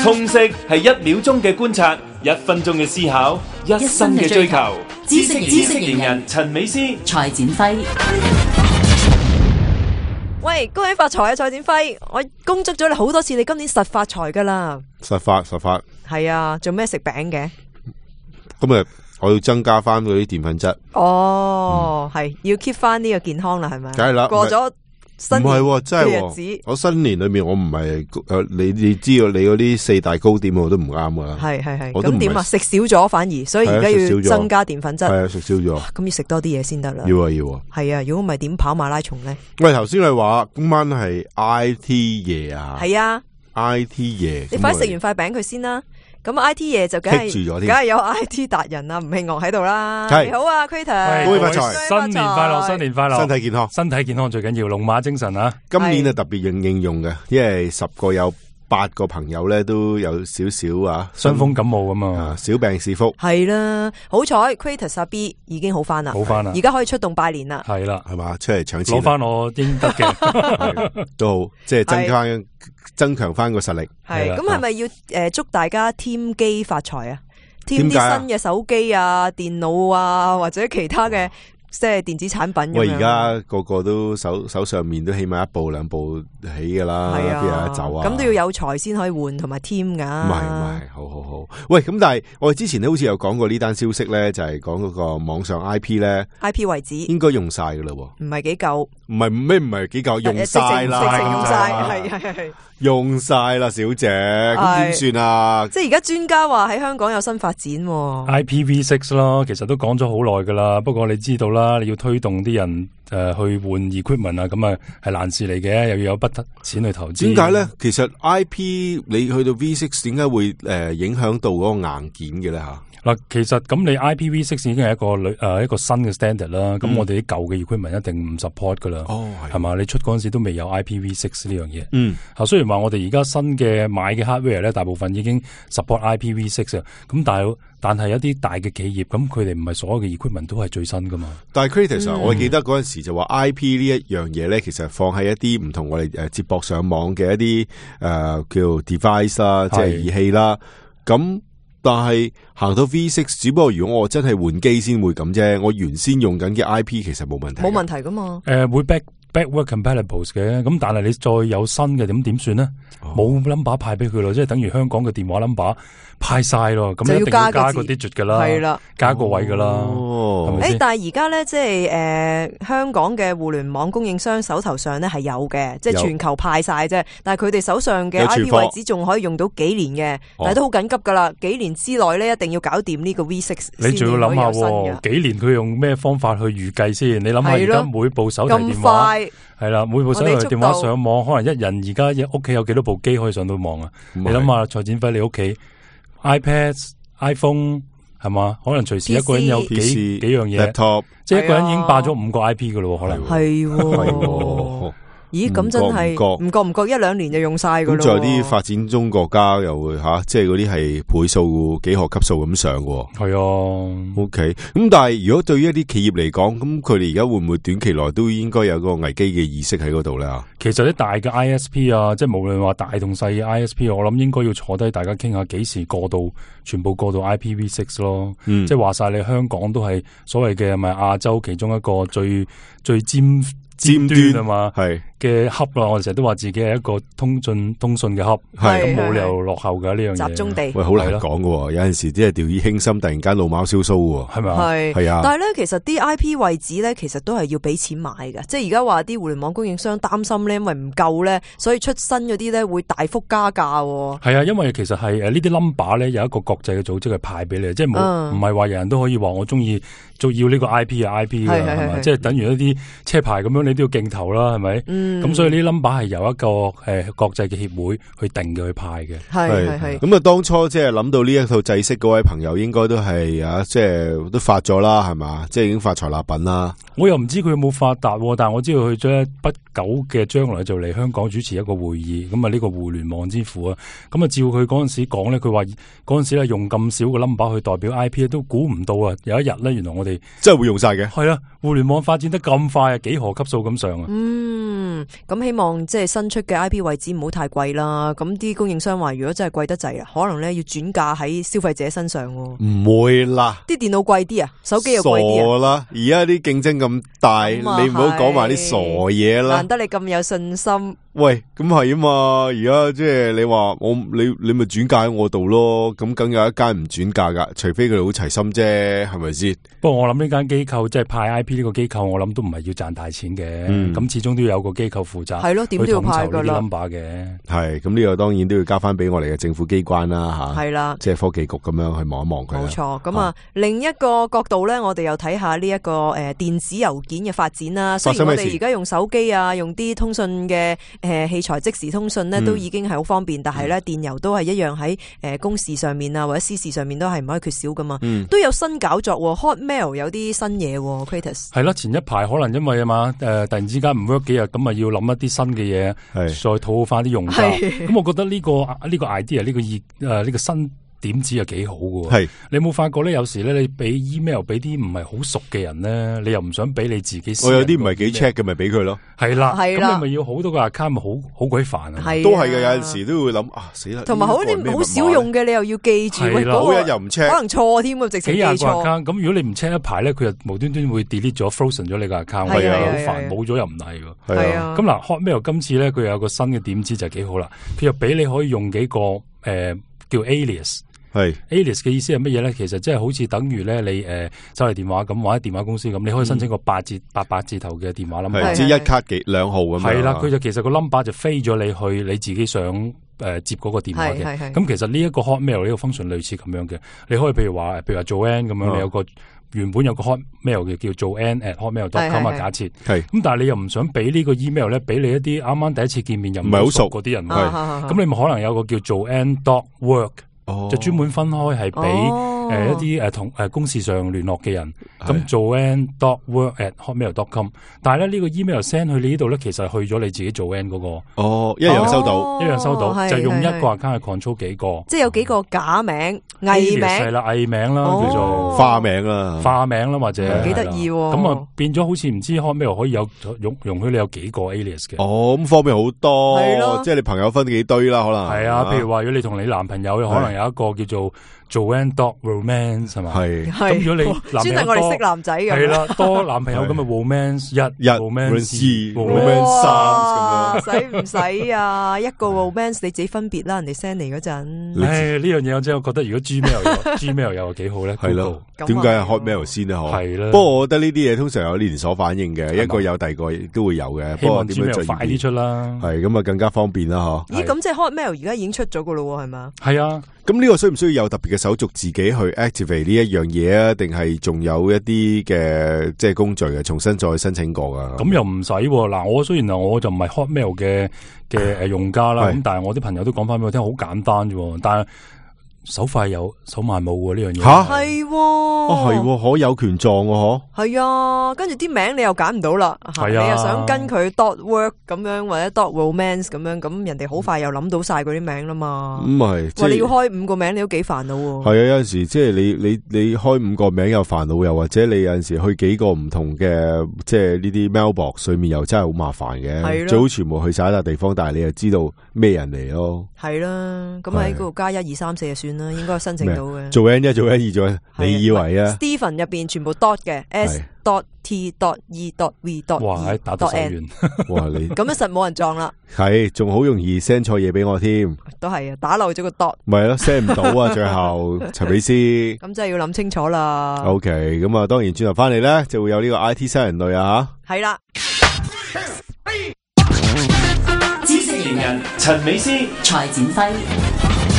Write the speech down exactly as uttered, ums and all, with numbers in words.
通識係一秒鐘嘅觀察，一分鐘嘅思考，一生嘅追求。知識知識型人陳美詩、蔡展輝。喂，恭喜發財啊，蔡展輝！我恭祝咗你好多次，你今年實發財噶啦。實發實發。係啊，做咩食餅嘅？今日我要增加翻嗰啲澱粉質。哦，係、嗯、要 keep 翻呢個健康啦，係咪？梗係啦，過咗新年唔係真係日子。我新年裏面我唔係誒，你你知道你嗰啲四大糕點我都唔啱噶啦。係係係。咁點啊？食少咗反而，所以而家要增加澱粉質。係啊，食少咗。咁要食多啲嘢先得啦。要啊要啊。係啊，如果唔係點跑馬拉松咧？喂，頭先你話今晚係 I T 夜啊？係啊 ，I T 夜。你快食完塊餅佢先啦。咁 I T 嘢就梗係梗係有 I T 達人啊，吳慶岳喺度啦。你好啊 ，Crater，恭喜發財，新年快樂，新年快樂，身體健康，身體健康最緊要，龍馬精神啊！今年啊特別應應用嘅，因為十個有八個朋友咧都有少少啊傷風感冒咁啊，小病是福。係啦，好彩 Crater 阿 B 已經好翻啦，好翻啦，而家可以出動拜年啦。係啦，係嘛，出嚟搶錢，攞翻我應得嘅，都好，即係增加增強翻個實力。係咁，係咪要誒祝大家添機發財啊？添啲新嘅手機啊、電腦啊，或者其他嘅。即係電子產品咁樣。喂，而家個個都手手上面都起碼一部兩部起噶啦，邊有得走啊？咁都要有財先可以換同埋添噶。唔係唔係，好好好。喂，咁但係我哋之前咧好似有講過呢單消息咧，就係講嗰個網上 I P 咧 ，I P 為止應該用晒噶啦。唔係幾夠？唔係咩？唔係幾夠？用晒啦，直情用晒，係係係。用晒啦，小姐，咁點算啊？即係而家專家話喺香港有新發展，I P V 六 咯，其實都講咗好耐噶啦。不過你知道啦，你要推動啲人誒、呃、去換 equipment 啊，咁啊係難事嚟嘅，又要有筆錢去投資。點解咧？其實 I P 你去到 V 六，點解會誒、呃、影響到嗰個硬件嘅咧吓？嗱，其實咁你 I P V 六 已經係一個誒、呃、一個新嘅 standard 啦。咁、嗯、我哋啲舊嘅 equipment 一定唔 support 噶啦。哦，係嘛？你出嗰陣時都未有 I P V 六呢樣嘢。嗯，啊雖然話我哋而家新嘅買嘅 hardware 咧，大部分已經 support I P V 六啊。咁但係但係一啲大嘅企業，咁佢哋唔係所有嘅 equipment 都係最新噶嘛。但係 Crater、嗯、我記得嗰陣時就話 I P 呢一樣嘢咧，其實放喺一啲唔同我哋誒接駁上網嘅一啲誒、呃、叫 device 啦，即係儀器啦。咁但係行到 V 六，只不過如果我真係換機先會咁啫。我原先用緊嘅 I P 其實冇問題，冇問題噶嘛。誒、呃，會 back backward compatible 嘅，咁但係你再有新嘅點點算呢？冇 number 派俾佢咯，即係等於香港嘅電話 number 派晒咯，咁一定要加個 digit 噶啦，係啦，加個位噶啦。哦，係咪先？誒，但係而家咧，即係誒、呃，香港嘅互聯網供應商手頭上咧係有嘅，即係全球派晒啫。但係佢哋手上嘅 I P 位置仲可以用到幾年嘅，但係都好緊急噶啦，幾年之內咧一定要搞掂呢個 V 六。你仲要諗下，幾年佢用咩方法去預計先？你諗下而家每部手提電話係啦，每部手提電話上網，可能一人而家屋企有幾多部機可以上到網啊？你諗下，蔡展輝你屋企 iPad、iPhone 係嘛？可能隨時一個人有幾 P C, 幾樣嘢，laptop, 即係一個人已經霸咗五個 I P 噶咯，可能係。咦，咁真係唔覺唔覺一兩年就用晒噶咯。咁仲有啲發展中國家又會吓、啊，即係嗰啲係倍數幾何級數咁上嘅。係啊 ，OK。咁但係如果對於一啲企業嚟講，咁佢哋而家會唔會短期內都應該有個危機嘅意識喺嗰度咧？其實啲大嘅 I S P 啊，即係無論話大同細嘅 I S P， 我諗應該要坐低大家傾下幾時過到全部過到 I P V 六 咯。嗯、即係話晒你香港都係所謂嘅咪亞洲其中一個最最尖。尖端啊嘛，係嘅 hub 啦，我哋成日都話自己係一個通訊通訊嘅 hub， 係咁冇理由落後噶呢樣嘢。集中地，喂，好難講噶，有陣時即係掉以輕心，突然間老貓燒鬚，係咪啊？係係啊。但係咧，其實啲 I P 位置咧，其實都係要俾錢買嘅。即係而家話啲互聯網供應商擔心咧，因為唔夠咧，所以出新嗰啲咧會大幅加價。係啊，因為其實係誒呢啲 number 咧有一個國際嘅組織去派俾你，即係冇唔係話人人都可以話我中意做要呢個 I P 啊 I P 嘅係嘛，即係等於一啲車牌咁樣，你都要鏡頭啦，係咪？咁、嗯、所以呢啲 number 係由一個誒、呃、國際嘅協會去定嘅去派嘅。係係係。咁啊，當初即係諗到呢一套制式嗰位朋友，應該都係啊，即係都發咗啦，係嘛？即係已經發財立品啦。我又唔知佢有冇發達，但係我知道佢將不久嘅將來就嚟香港主持一個會議。咁啊，呢個互聯網之父啊，咁啊，照佢嗰陣時講咧，佢話嗰陣時咧用咁少個 number 去代表 I P 都估唔到啊！有一日咧，原來我哋真係會用晒嘅。係啊，互聯網發展得咁快啊，幾何級數咁上啊！嗯，嗯，咁希望即係新出嘅 I P 位置唔好太貴啦。咁啲供應商話，如果真係貴得滯啊，可能咧要轉嫁喺消費者身上。唔會啦，啲電腦貴啲啊，手機又貴啲啊。傻啦，而家啲競爭咁大，你唔好講埋啲傻嘢啦。難得你咁有信心。喂，咁係啊嘛，而家即係你話我你你咪轉嫁喺我度咯，咁梗有一間唔轉嫁噶，除非佢哋好齊心啫，係咪先？不過我諗呢間機構即係派 I P 呢個機構，我諗都唔係要賺大錢嘅，咁、嗯、始終都要有個機構負責，係咯，點都要派噶啦。number 嘅係，咁呢個當然都要交翻俾我哋嘅政府機關啦，吓，係啦，即係科技局咁樣去望一望佢。冇錯，咁啊，另一個角度咧，我哋又睇下呢一個誒電子郵件嘅發展啦。雖然我哋而家用手機啊，用啲通訊嘅誒器材即時通訊咧，都已經係好方便，嗯、但係咧電郵都係一樣喺誒公事上面啊，或者私事上面都係唔可以缺少噶嘛。嗯、都有新搞作 ，Hotmail 有啲新嘢 ，Kratos 係啦，前一排可能因為啊嘛，誒、呃、突然之間唔 work 幾日，咁啊要諗一啲新嘅嘢，再討好翻啲用家。咁我覺得呢、這個呢、這個 idea 呢個意誒呢個新點子又幾好嘅。係你有冇發覺咧？有時咧你俾 email 俾啲唔係好熟嘅人咧，你又唔想俾你自己。我有啲唔係幾 check 嘅，咪俾佢咯。係啦，咁你咪要好多個 account，咪好好鬼煩啊！都係嘅，有陣時都會諗啊，死啦！同埋好啲好少用嘅，你又要記住，喂，嗰個又唔 check，可能錯添啊，直情記錯。幾廿個 account，咁如果你唔 check 一排咧，佢又無端端會 delete 咗 frozen 咗你個 account，係啊，好煩，冇咗又唔係喎。係啊，咁嗱 Hotmail 今次咧，佢有個新嘅點子就幾好啦，佢又俾你可以用幾個誒叫 alias。係 alias 嘅意思係乜嘢咧？其實即係好似等於咧你誒手提電話咁，或者電話公司咁，你可以申請個八字八百字頭嘅電話 number，即係一卡幾兩號咁樣。係啦，佢就其實個 number 就飛咗你去你自己想誒、呃、接嗰個電話嘅。咁其實呢一個 Hotmail 呢個 function 類似咁樣嘅，你可以譬如話，譬如話 Joanne 咁樣，你有個原本有個 Hotmail 嘅叫 Joanne at hotmail dot com 啊，假設係咁，但係你又唔想俾呢個 email 咧，俾你一啲啱啱第一次見面又唔係好熟嗰啲人，咁你咪可能有個叫 Joanne dot work。哦、就專門分開係俾誒一啲誒同誒公事上聯絡嘅人，咁 Joanne dot work at hotmail dot com， 但係咧呢、這個 email send 去你呢度咧，其實係去咗你自己 Joanne 嗰個，哦，一樣收到，哦、一樣收到，就用一個 account 去 control 幾個，即係有幾個假名、藝名，係啦，藝名啦，哦、叫做花名啦，花名啦，或者幾得意，咁啊變咗好似唔知 Hotmail 可以有容容許你有幾個 alias 嘅，哦，咁方便好多，即係你朋友分幾堆啦，可能係啊，譬如話如果你同你男朋友，可能有一個叫做Joanne dot romance 係嘛？係咁，如果你男朋友多，專係我哋識男仔嘅，係啦，多男朋友咁咪 romance 一、一 romance 二、romance 三咁樣，使唔使啊？一個 romance 你自己分別啦，人哋 send 嚟嗰陣。唉，呢樣嘢我真係覺得，如果 Gmail 有 Gmail 又幾好咧？係咯，點解係 Hotmail 先咧？嗬，係啦。不過我覺得呢啲嘢通常有連鎖反應嘅，一個有第二個都會有嘅。希望 Gmail 快啲出啦，係咁啊，更加方便啦，嗬。咦，咁即係 Hotmail 而家已經出咗噶咯，係嘛？係啊。咁呢個需唔需要有特別嘅手續自己去 activate 呢一樣嘢啊？定係仲有一啲嘅即係工序嘅，重新再申請過噶？咁又唔使嗱，我雖然啊，我就唔係 Hotmail 嘅嘅誒用家啦，咁但係我啲朋友都講翻俾我聽，好簡單啫，但係手快有手慢冇喎呢樣嘢。吓係，哦係，可有權狀喎，嗬。係啊，跟住啲名你又揀唔到啦，係啊，你又想跟佢 dot work 咁樣或者 dot romance 咁樣，咁人哋好快又諗到晒嗰啲名啦嘛。咁係，哇！你要開五個名，你都幾煩惱喎。係啊，有陣時即係你你你開五個名又煩惱，又或者你有陣時去幾個唔同嘅即係呢啲 mailbox 裏面又真係好麻煩嘅。最好全部去晒一笪地方，但係你又知道咩人嚟咯。係啦，咁喺嗰度加一二三四就算啦，應該申請到嘅。做 N 一做 N 二做，你以為啊 ？Stephen 入邊全部 dot 嘅 S dot T dot E dot V dot， 哇，打到手軟，哇你咁樣實冇人撞啦。係，仲好容易 send 錯嘢俾我添。都係啊，打漏咗個 dot。咪係咯 ，send 唔到啊，最後陳美斯。咁真係要諗清楚啦。OK，咁啊，當然轉頭翻嚟咧，就會有呢個 I T 新人類啊吓。係啦。知識型人陳美斯、蔡展輝。